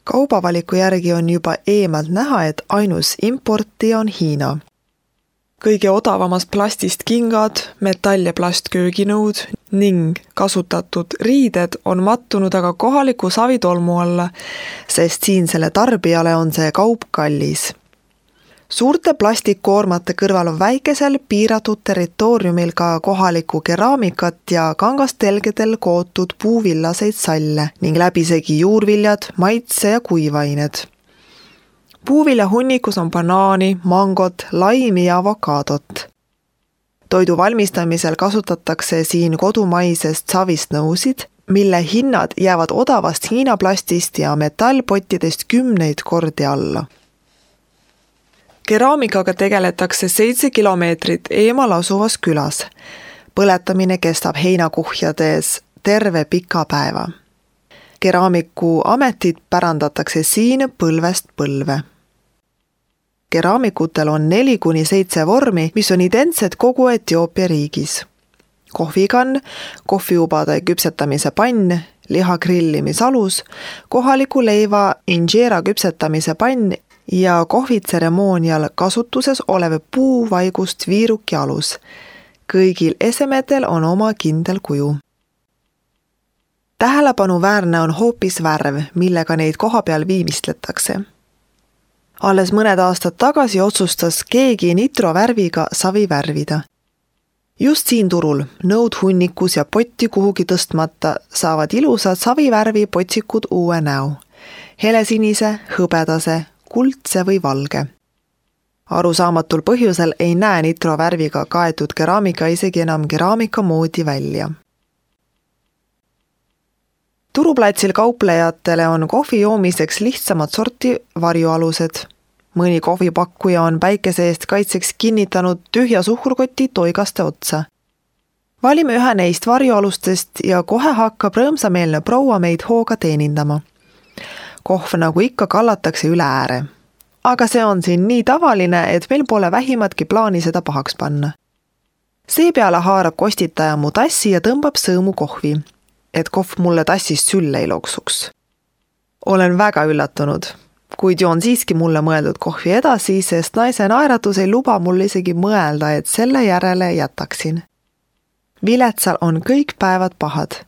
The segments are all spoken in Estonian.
Kaubavaliku järgi on juba eemalt näha, et ainus importija on Hiina. Kõige odavamast plastist kingad, metall- ja plastkööginõud ning kasutatud riided on mattunud aga kohaliku savitolmu alla, sest siinsele tarbijale on see kaup kallis. Suurte plastikkoormate kõrval on väikesel piiratud territooriumil ka kohalikku keraamikat ja kangastelgedel kootud puuvillaseid salle ning läbisegi juurviljad, maitse- ja kuivained. Puuvilja hunnikus on banaani, mangot, laimi ja avokaadot. Toidu valmistamisel kasutatakse siin kodumaisest savist nõusid, mille hinnad jäävad odavast Hiina plastist ja metallpottidest 10 kordi alla. Keraamikaga tegeletakse 7 kilomeetrit eemal asuvas külas. Põletamine kestab heinakuhjades terve pika päeva. Keraamiku ametit pärandatakse siin põlvest põlve. Keraamikutel on 4-7 vormi, mis on identsed kogu Etioopia riigis. Kohvikann, kohviubade küpsetamise pann, liha grillimisalus, kohaliku leiva injera küpsetamise pann ja kohvitseremoonial kasutuses olev puuvaigust viiruki alus. Kõigil esemetel on oma kindel kuju. Tähelepanuväärne on hoopis värv, millega neid kohapeal viimistletakse. Alles mõned aastad tagasi otsustas keegi nitrovärviga savi värvida. Just siin turul, nõud hunnikus ja potti kuhugi tõstmata, saavad ilusad savivärvi potsikud uue näo. Helesinise, hõbedase, kuldse või valge. Arusaamatul põhjusel ei näe nitrovärviga kaetud keraamika isegi enam keraamika moodi välja. Turuplatsil kauplejatele on kohvi joomiseks lihtsamad sorti varjualused. Mõni kohvipakkuja on päikese eest kaitseks kinnitanud tühja suhkrukoti toigaste otsa. Valime ühe neist varjualustest ja kohe hakkab rõõmsameelne proua meid hooga teenindama. Kohv nagu ikka kallatakse üle ääre. Aga see on siin nii tavaline, et meil pole vähimatki plaani seda pahaks panna. Seepeale haarab kostitaja mu tassi ja tõmbab sõõmu kohvi, et kohv mulle tassist sülle ei loksuks. Olen väga üllatunud, kuid joon siiski mulle mõeldud kohvi edasi, sest naise naeratus ei luba mul isegi mõelda, et selle järele jätaksin. Viletsal on kõik päevad pahad,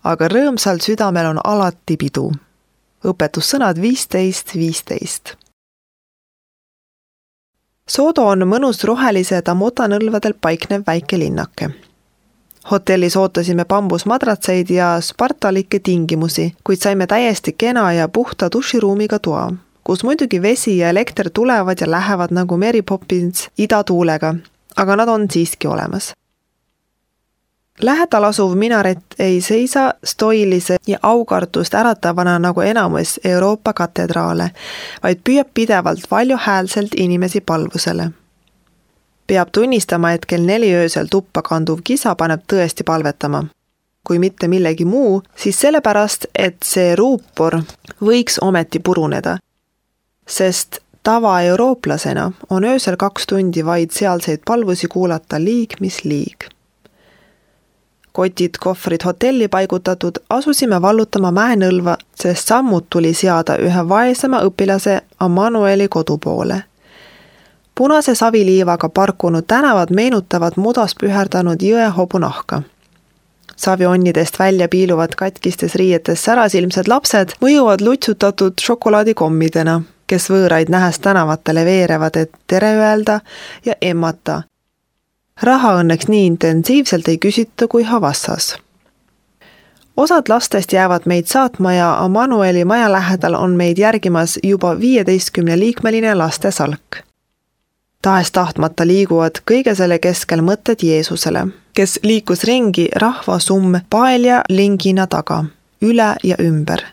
aga rõõmsal südamel on alati pidu. Õpetussõnad 15:15. Sodo on mõnus rohelise tamotanõlvadel paiknev väike linnake. Hotellis ootasime bambusmadratseid ja spartalikke tingimusi, kuid saime täiesti kena ja puhta duširuumiga toa, kus muidugi vesi ja elekter tulevad ja lähevad nagu Mary Poppins idatuulega, aga nad on siiski olemas. Lähedal asuv minaret ei seisa stoilise ja aukartust äratavana nagu enamus Euroopa katedraale, vaid püüab pidevalt valjuhäälselt inimesi palvusele. Peab tunnistama, et kell 4 öösel tuppa kanduv kisa paneb tõesti palvetama. Kui mitte millegi muu, siis sellepärast, et see ruupor võiks ometi puruneda. Sest tavaeurooplasena on öösel 2 tundi vaid sealseid palvusi kuulata liig, mis liig. Kotid, kohvrid hotelli paigutatud, asusime vallutama mäenõlva, sest sammud tuli seada ühe vaesema õpilase Ammanueli kodu poole. Punase saviliivaga parkunud tänavad meenutavad mudas püherdanud jõe hobunahka. Savionnidest välja piiluvad katkistes riietes särasilmsed lapsed mõjuvad lutsutatud šokolaadikommidena, kes võõraid nähes tänavatele veerevad, et tere öelda ja emmata. Raha õnneks nii intensiivselt ei küsita kui Havassas. Osad lastest jäävad meid saatma ja Ammanueli maja lähedal on meid järgimas juba 15-liikmeline lastesalk. Tahes tahtmata liiguvad kõige selle keskel mõtted Jeesusele, kes liikus ringi rahvasumm paelja lingina taga, üle ja ümber.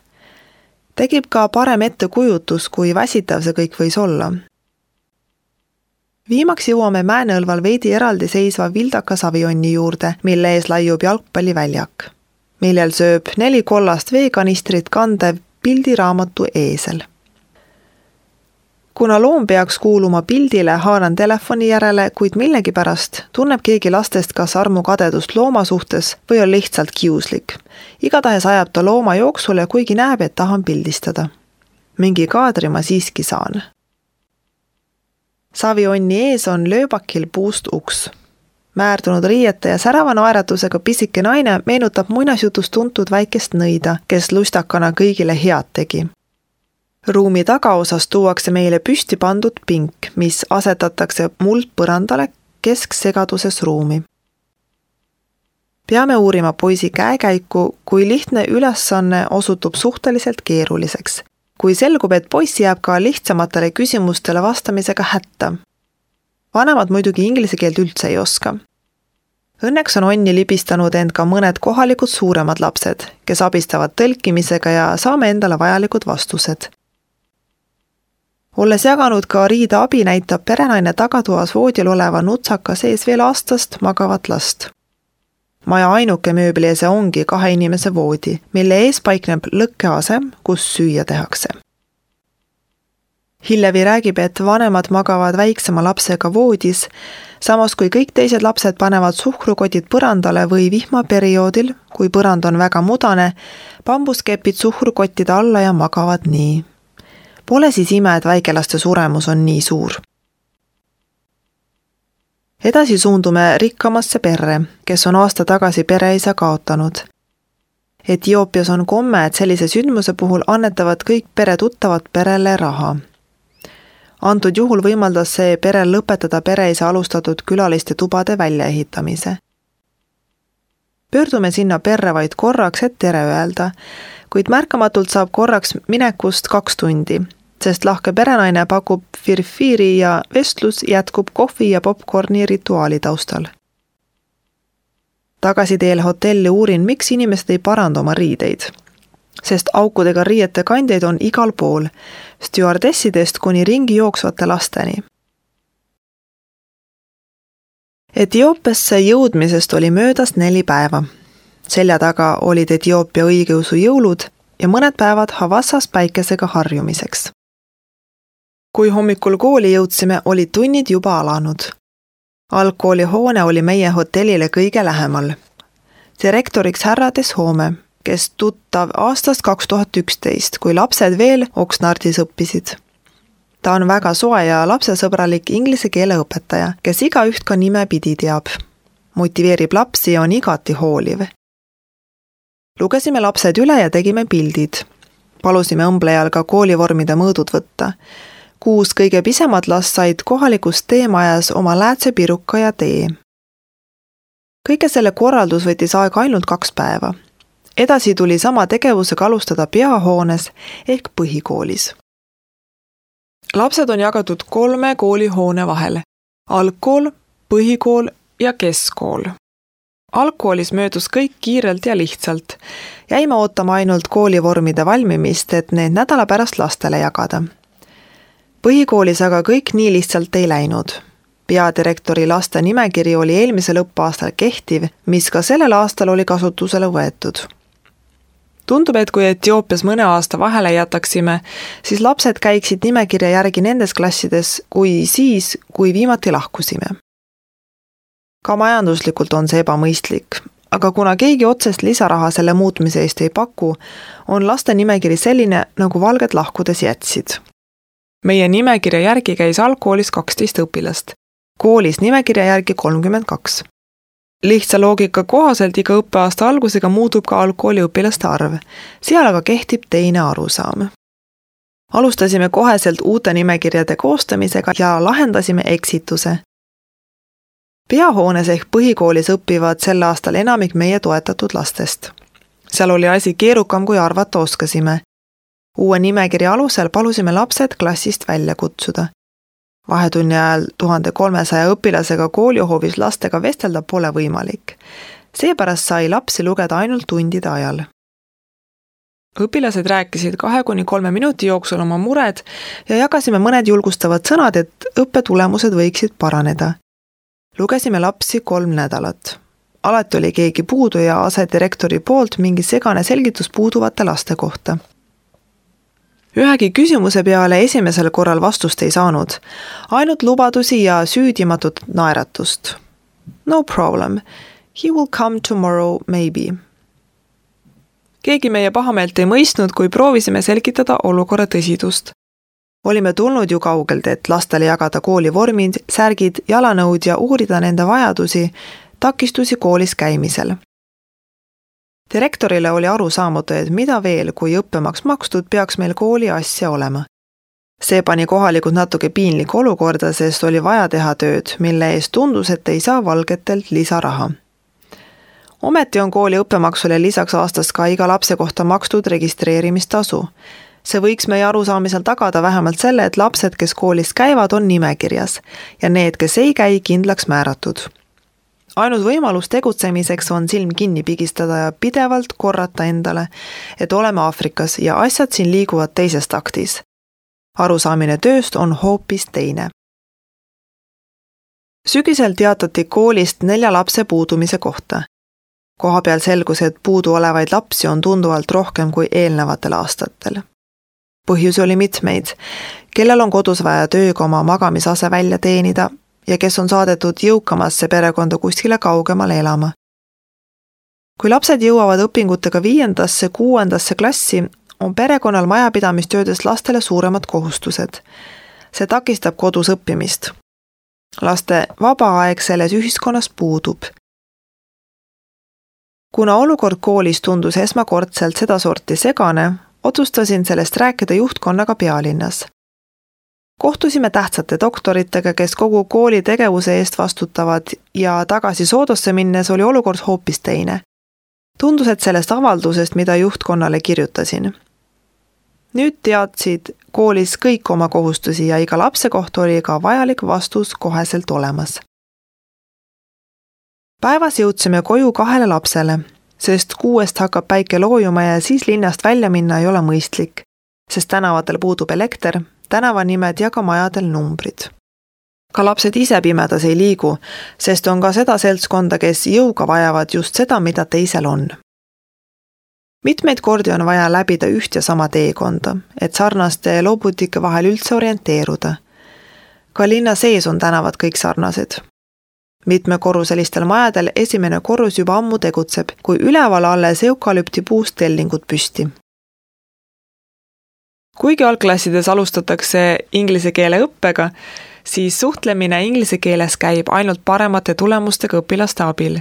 Tegib ka parem ettekujutus, kui väsitav see kõik võis olla. Viimaks jõuame Mäenõlval veidi eraldi seisva vildaka savionni juurde, mille ees laiub jalgpalliväljak, millel sööb 4 kollast veekanistrit kandev pildiraamatu eesel. Kuna loom peaks kuuluma pildile, haaran telefoni järele, kuid millegipärast tunneb keegi lastest kas armukadedust looma suhtes või on lihtsalt kiuslik. Igatahes ajab ta looma jooksule, kuigi näeb, et tahan pildistada. mingi kaadri ma siiski saan. Savionni ees on lööbakil puust uks. Määrdunud riiete ja särava naeratusega pisike naine meenutab muinasjutus tuntud väikest nõida, kes lustakana kõigile head tegi. Ruumi tagaosas tuuakse meile püsti pandud pink, mis asetatakse muldpõrandale kesksegaduses ruumi. Peame uurima poisi käekäiku, kui lihtne ülesanne osutub suhteliselt keeruliseks. Kui selgub, et poiss jääb ka lihtsamatele küsimustele vastamisega hätta. Vanemad muidugi inglise keelt üldse ei oska. Õnneks on onni libistanud end ka mõned kohalikud suuremad lapsed, kes abistavad tõlkimisega ja saame endale vajalikud vastused. Olles jaganud ka riida abi, näitab perenaine tagatoas voodil oleva nutsaka sees veel aastast magavat last. Maja ainuke mööbliese ongi 2 inimese voodi, mille ees paikneb lõkkeasem, kus süüa tehakse. Hillevi räägib, et vanemad magavad väiksema lapsega voodis, samas kui kõik teised lapsed panevad suhkrukotid põrandale või vihmaperioodil, kui põrand on väga mudane, bambuskepid suhkrukottide alla ja magavad nii. Pole siis ime, et väikelaste suremus on nii suur. Edasi suundume rikkamasse perre, kes on aasta tagasi pereisa kaotanud. Etioopias on komme, et sellise sündmuse puhul annetavad kõik pere tuttavad perele raha. Antud juhul võimaldas see perel lõpetada pereisa alustatud külaliste tubade väljaehitamise. Pöördume sinna perre vaid korraks, et tere öelda, kuid märkamatult saab korraks minekust 2 tundi, sest lahke perenaine pakub firfiiri ja vestlus jätkub kohvi ja popcorni rituaali taustal. Tagasiteel hotelli uurin, miks inimesed ei paranda oma riideid, sest aukudega riiete kandjaid on igal pool, stjuardessidest kuni ringi jooksvate lasteni. Etioopiasse jõudmisest oli möödas 4 päeva. Selja taga olid Etioopia õigeusu jõulud ja mõned päevad Havassas päikesega harjumiseks. Kui hommikul kooli jõudsime, olid tunnid juba alanud. Algkooli hoone oli meie hotellile kõige lähemal. Direktoriks härra Deshoome, kes tuttav aastast 2011, kui lapsed veel Oksnardis õppisid. Ta on väga soe ja lapsesõbralik inglise keele õpetaja, kes igaüht ka nime pidi teab. Motiveerib lapsi ja on igati hooliv. Lugesime lapsed üle ja tegime pildid. Palusime õmblejal ka koolivormide mõõdud võtta. 6 kõige pisemad last said kohalikus teemajas oma läätsepiruka ja tee. Kõige selle korraldus võttis aega ainult 2 päeva. Edasi tuli sama tegevusega alustada peahoones ehk põhikoolis. Lapsed on jagatud 3 koolihoone vahel. Algkool, põhikool ja keskkool. Algkoolis möödus kõik kiirelt ja lihtsalt. Jäime ootama ainult koolivormide valmimist, et need nädala pärast lastele jagada. Põhikoolis aga kõik nii lihtsalt ei läinud. Peadirektori laste nimekiri oli eelmisel õppeaastal kehtiv, mis ka sellel aastal oli kasutusele võetud. Tundub, et kui Etioopias mõne aasta vahele jätaksime, siis lapsed käiksid nimekirja järgi nendes klassides kui siis, kui viimati lahkusime. Ka majanduslikult on see ebamõistlik, aga kuna keegi otsest lisaraha selle muutmise eest ei paku, on laste nimekiri selline, nagu valged lahkudes jätsid. Meie nimekirja järgi käis algkoolis 12 õpilast, koolis nimekirja järgi 32. Lihtsa loogika kohaselt iga õppeaasta algusega muutub ka algkooli õpilaste arv, seal aga kehtib teine arusaam. Alustasime koheselt uute nimekirjade koostamisega ja lahendasime eksituse. Peahoones ehk põhikoolis õpivad sel aastal enamik meie toetatud lastest. Seal oli asi keerukam, kui arvata oskasime. Uue nimekirja alusel palusime lapsed klassist välja kutsuda. Vahetunni ajal 1300 õpilasega koolihoovis lastega vestelda pole võimalik. Seepärast sai lapsi lugeda ainult tundide ajal. Õpilased rääkisid 2-3 minuti jooksul oma mured ja jagasime mõned julgustavad sõnad, et õppetulemused võiksid paraneda. Lugesime lapsi 3 nädalat. Alati oli keegi puudu ja asedirektori poolt mingi segane selgitus puuduvate laste kohta. Ühegi küsimuse peale esimesel korral vastust ei saanud, ainult lubadusi ja süüdimatut naeratust. No problem, he will come tomorrow maybe. Keegi meie pahameelt ei mõistnud, kui proovisime selgitada olukorra tõsidust. Olime tulnud ju kaugelt, et lastele jagada kooli vormid, särgid, jalanõud ja uurida nende vajadusi, takistusi koolis käimisel. Direktorile oli aru saamatu, et mida veel, kui õppemaks makstud, peaks meil kooli asja olema. See pani kohalikud natuke piinlik olukorda, sest oli vaja teha tööd, mille eest tundus, et ei saa valgetelt lisaraha. Ometi on kooli õppemaksule lisaks aastas ka iga lapse kohta makstud registreerimistasu. See võiks meie arusaamisel tagada vähemalt selle, et lapsed, kes koolis käivad, on nimekirjas ja need, kes ei käi, kindlaks määratud. Ainus võimalus tegutsemiseks on silm kinni pigistada ja pidevalt korrata endale, et oleme Aafrikas ja asjad siin liiguvad teises taktis. Arusaamine tööst on hoopis teine. Sügisel teatati koolist 4 lapse puudumise kohta. Kohapeal selgus, et puudu olevaid lapsi on tunduvalt rohkem kui eelnevatel aastatel. Põhjusi oli mitmeid, kellel on kodus vaja tööga oma magamisase välja teenida ja kes on saadetud jõukamasse perekonda kuskile kaugemale elama. Kui lapsed jõuavad õpingutega 5.–6. klassi, on perekonnal majapidamistöödes lastele suuremad kohustused. See takistab kodus õppimist. Laste vaba aeg selles ühiskonnas puudub. Kuna olukord koolis tundus esmakordselt sedasorti segane, otsustasin sellest rääkida juhtkonnaga pealinnas. Kohtusime tähtsate doktoritega, kes kogu kooli tegevuse eest vastutavad ja tagasi Soodosse minnes oli olukord hoopis teine. Tundus, et sellest avaldusest, mida juhtkonnale kirjutasin. Nüüd teadsid koolis kõik oma kohustusi ja iga lapse kohta oli ka vajalik vastus koheselt olemas. Päevas jõudsime koju 2 lapsele, sest 6 hakkab päike loojuma ja siis linnast välja minna ei ole mõistlik, sest tänavatel puudub elekter, tänavanimed ja ka majadel numbrid. Ka lapsed ise pimedas ei liigu, sest on ka seda seltskonda, kes jõuga vajavad just seda, mida teisel on. Mitmeid kordi on vaja läbida üht ja sama teekonda, et sarnaste loobutike vahel üldse orienteeruda. Ka linna sees on tänavad kõik sarnased. Mitmekorruselistel majadel esimene korrus juba ammu tegutseb, kui üleval alles eukalüpti puust tellingud püsti. Kuigi algklassides alustatakse inglise keele õppega, siis suhtlemine inglise keeles käib ainult paremate tulemustega õpilaste abil.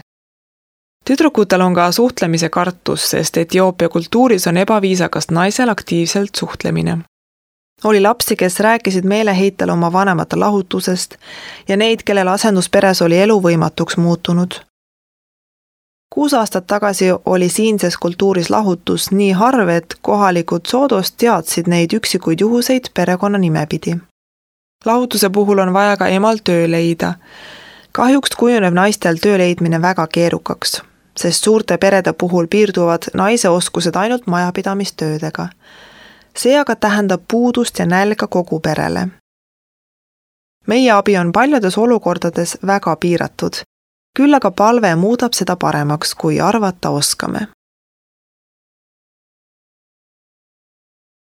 Tüdrukutel on ka suhtlemise kartus, sest Etioopia kultuuris on ebaviisakas naisel aktiivselt suhtlemine. Oli lapsi, kes rääkisid meeleheitel oma vanemate lahutusest ja neid, kellel asendusperes oli elu võimatuks muutunud. 6 aastat tagasi oli siinses kultuuris lahutus nii harv, et kohalikud Soodost teadsid neid üksikuid juhuseid perekonna nimepidi. Lahutuse puhul on vaja ka emal töö leida. Kahjuks kujuneb naistel töö leidmine väga keerukaks, sest suurte perede puhul piirduvad naise oskused ainult majapidamistöödega. See aga tähendab puudust ja nälga kogu perele. Meie abi on paljudes olukordades väga piiratud, küll aga palve muudab seda paremaks, kui arvata oskame.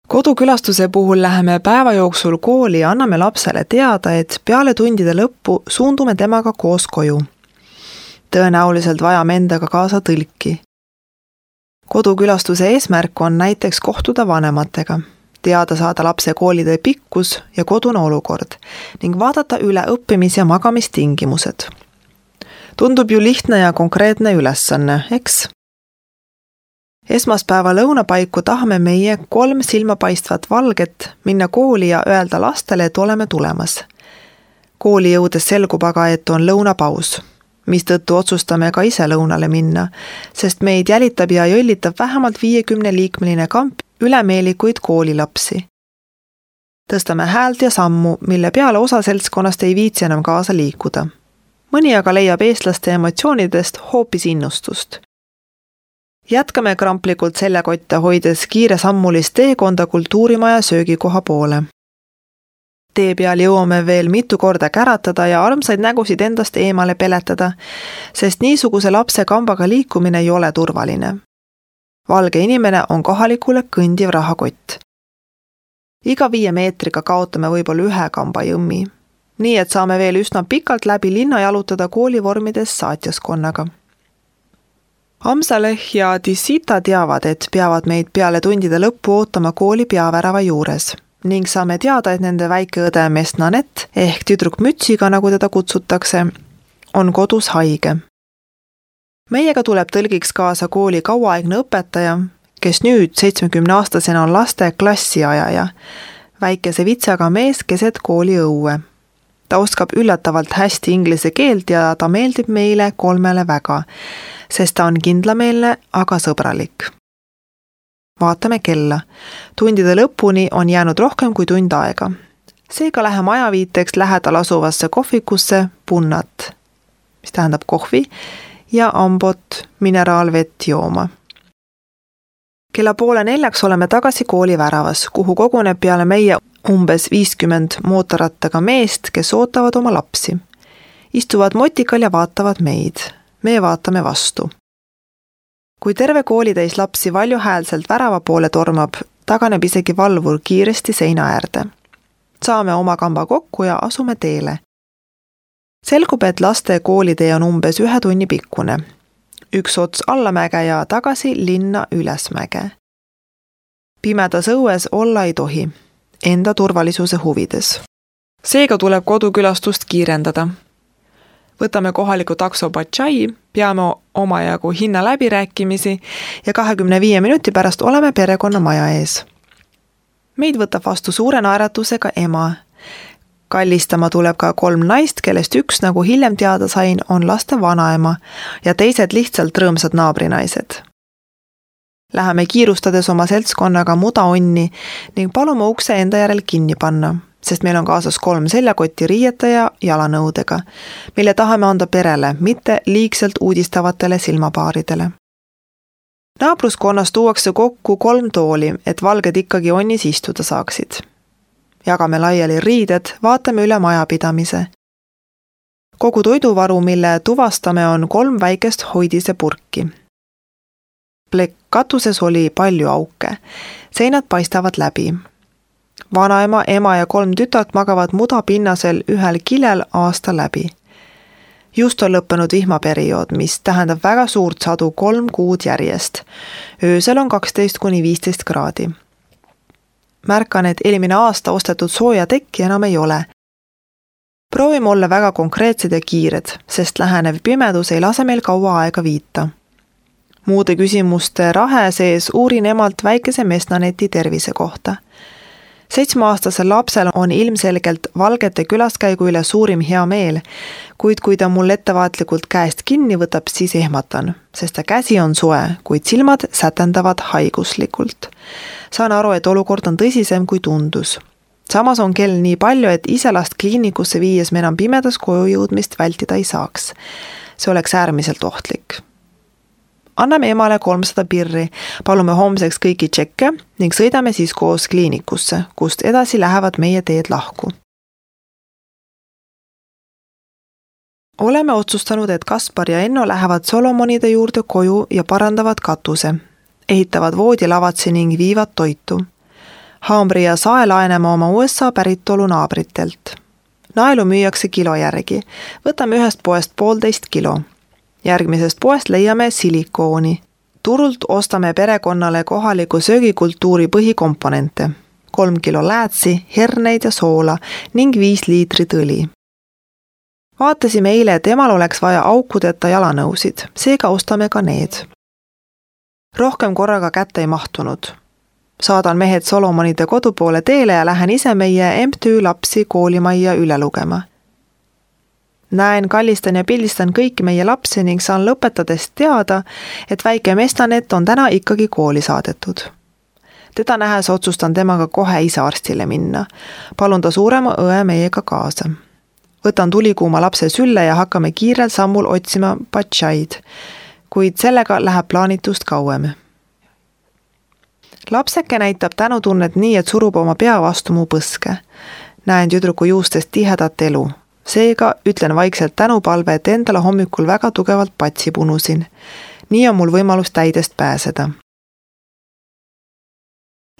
Kodukülastuse puhul läheme päeva jooksul kooli ja anname lapsele teada, et peale tundide lõppu suundume temaga koos koju. Tõenäoliselt vajame endaga kaasa tõlki. Kodukülastuse eesmärk on näiteks kohtuda vanematega, teada saada lapse koolide pikkus ja kodune olukord ning vaadata üle õppimis- ja magamistingimused. Tundub ju lihtne ja konkreetne ülesanne, eks? Esmaspäeva lõunapaiku tahame meie 3 silmapaistvat valget minna kooli ja öelda lastele, et oleme tulemas. Kooli jõudes selgub aga, et on lõunapaus, mistõttu otsustame ka ise lõunale minna, sest meid jälitab ja jõllitab vähemalt 50-liikmeline kamp ülemeelikuid koolilapsi. Tõstame häält ja sammu, mille peale osa seltskonnast ei viitsi enam kaasa liikuda. Mõni aga leiab eestlaste emotsioonidest hoopis innustust. Jätkame kramplikult seljakotte hoides kiiresammulist teekonda kultuurimaja söögikoha poole. Tee peal jõuame veel mitu korda käratada ja armsaid nägusid endast eemale peletada, sest niisuguse lapse kambaga liikumine ei ole turvaline. Valge inimene on kohalikule kõndiv rahakott. Iga 5 meetriga kaotame võib-olla 1 kamba jõmmi, nii et saame veel üsna pikalt läbi linna jalutada koolivormides saatjaskonnaga. Amsaleh ja Dissita teavad, et peavad meid peale tundide lõppu ootama kooli peavärava juures ning saame teada, et nende väike õde Mesnanet ehk tüdruk mütsiga, nagu teda kutsutakse, on kodus haige. Meiega tuleb tõlgiks kaasa kooli kauaaegne õpetaja, kes nüüd 70-aastasena on laste klassiajaja, väikese vitsaga mees keset kooli õue. Ta oskab üllatavalt hästi inglise keelt ja ta meeldib meile 3 väga, sest ta on kindlameelne, aga sõbralik. Vaatame kella. Tundide lõpuni on jäänud rohkem kui tund aega. Seega läheme ajaviiteks lähedal asuvasse kohvikusse Punnat, mis tähendab kohvi, ja Ambot mineraalvett jooma. Kella 3:30 oleme tagasi kooli väravas, kuhu koguneb peale meie umbes 50 mootorrattaga meest, kes ootavad oma lapsi. Istuvad motikal ja vaatavad meid. Me vaatame vastu. Kui terve koolitäis lapsi valjuhäälselt värava poole tormab, taganeb isegi valvur kiiresti seina äärde. Saame oma kamba kokku ja asume teele. Selgub, et laste koolitee on umbes 1 tunni pikkune. Üks ots allamäge ja tagasi linna ülesmäge. Pimedas õues olla ei tohi, enda turvalisuse huvides. Seega tuleb kodukülastust kiirendada. Võtame kohaliku takso Bachai, peame omajagu hinna läbirääkimisi ja 25 minuti pärast oleme perekonna maja ees. Meid võtab vastu suure naeratusega ema. Kallistama tuleb ka 3 naist, kellest üks, nagu hiljem teada sain, on laste vanaema ja teised lihtsalt rõõmsad naabrinaised. Läheme kiirustades oma seltskonnaga mudaonni ning palume ukse enda järel kinni panna, sest meil on kaasas 3 seljakotti riiete ja jalanõudega, mille tahame anda perele, mitte liigselt uudistavatele silmapaaridele. Naabruskonnas tuuakse kokku 3 tooli, et valged ikkagi onnis istuda saaksid. Jagame laiali riided, vaatame üle majapidamise. Kogu toiduvaru, mille tuvastame, on 3 väikest hoidise purki. Katuses oli palju auke. Seinad paistavad läbi. Vanaema, ema ja 3 tütart magavad mudapinnasel ühel kilel aasta läbi. Just on lõppenud vihmaperiood, mis tähendab väga suurt sadu 3 kuud järjest. Öösel on 12–15 kraadi. Märkan, et eelmine aasta ostetud sooja tekki enam ei ole. Proovime olla väga konkreetsed ja kiired, sest lähenev pimedus ei lase meil kaua aega viita. Muude küsimuste rahe sees uurin emalt väikese Mesnaneti tervise kohta. 7-aastasel lapsel on ilmselgelt valgete külaskäigu üle suurim hea meel, kuid kui ta mul ettevaatlikult käest kinni võtab, siis ehmatan, sest ta käsi on soe, kuid silmad sätendavad haiguslikult. Saan aru, et olukord on tõsisem kui tundus. Samas on kell nii palju, et ise last kliinikusse viies me enam pimedas koju jõudmist vältida ei saaks. See oleks äärmiselt ohtlik. Anname emale 300 pirri, palume homseks kõiki tšekke ning sõidame siis koos kliinikusse, kust edasi lähevad meie teed lahku. Oleme otsustanud, et Kaspar ja Enno lähevad Solomonide juurde koju ja parandavad katuse, ehitavad voodilavatsi ning viivad toitu. Haamri ja sae laename oma USA päritolu naabritelt. Naelu müüakse kilo järgi, võtame ühest poest 1,5 kilo. Järgmisest poest leiame silikooni. Turult ostame perekonnale kohaliku söögikultuuri põhikomponente. 3 kilo läätsi, herneid ja soola ning 5 liitrit õli. Vaatasime eile, et emal oleks vaja aukudeta jalanõusid, seega ostame ka need. Rohkem korraga kätte ei mahtunud. Saadan mehed Solomonide kodupoole teele ja lähen ise meie MTÜ lapsi koolimajja üle lugema. Näen, kallistan ja pildistan kõiki meie lapsi ning saan lõpetades teada, et väike Mesnanet on täna ikkagi kooli saadetud. Teda nähes otsustan temaga kohe ise arstile minna. Palun ta suurema õe meiega kaasa. Võtan tulikuuma lapse sülle ja hakkame kiirel sammul otsima Bachaid, kuid sellega läheb plaanitust kauem. Lapseke näitab tänutunnet nii, et surub oma pea vastu mu põske. Näen tüdruku juustest tihedat elu. Seega ütlen vaikselt tänupalve, et endale hommikul väga tugevalt patsi punusin. Nii on mul võimalus täidest pääseda.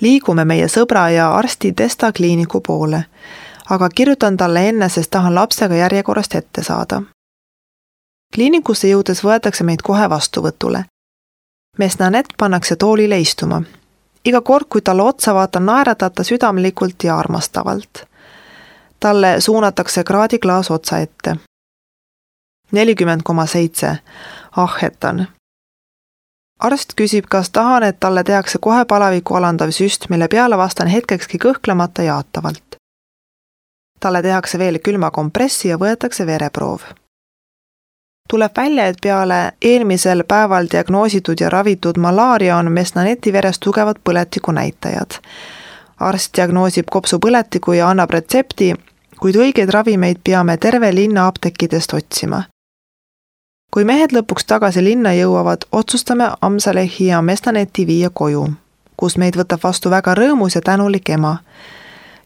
Liigume meie sõbra ja arsti Testa kliiniku poole, aga kirjutan talle enne, sest tahan lapsega järjekorrast ette saada. Kliinikusse jõudes võetakse meid kohe vastuvõtule. mees Nanette pannakse toolile istuma. Iga kord, kui talle otsa vaatan, naeratab ta südamlikult ja armastavalt. Talle suunatakse kraadiklaas otsa ette. 40,7. Ahhetan. Arst küsib, kas tahan, et talle tehakse kohe palaviku alandav süst, mille peale vastan hetkekski kõhklemata jaatavalt. Talle tehakse veel külma kompressi ja võetakse vereproov. Tuleb välja, et peale eelmisel päeval diagnoositud ja ravitud malaaria on mees Naneti veres tugevad põletiku näitajad. Arst diagnoosib kopsupõletiku ja annab retsepti, kuid õigeid ravimeid peame terve linna apteekidest otsima. Kui mehed lõpuks tagasi linna jõuavad, otsustame Amsalehi ja mees Naneti viia koju, kus meid võtab vastu väga rõõmus ja tänulik ema.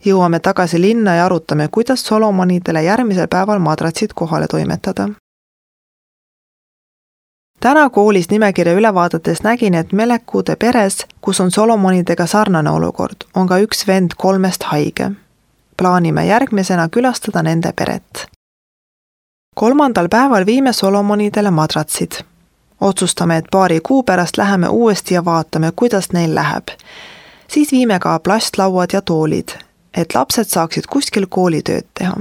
Jõuame tagasi linna ja arutame, kuidas Solomonidele järgmisel päeval madratsid kohale toimetada. Täna koolis nimekirja üle vaadates nägin, et Melekude peres, kus on Solomonidega sarnane olukord, on ka üks vend 3 haige. Plaanime järgmisena külastada nende peret. 3. päeval viime Solomonidele madratsid. Otsustame, et paari kuu pärast läheme uuesti ja vaatame, kuidas neil läheb. Siis viime ka plastlauad ja toolid, et lapsed saaksid kuskil koolitööd teha.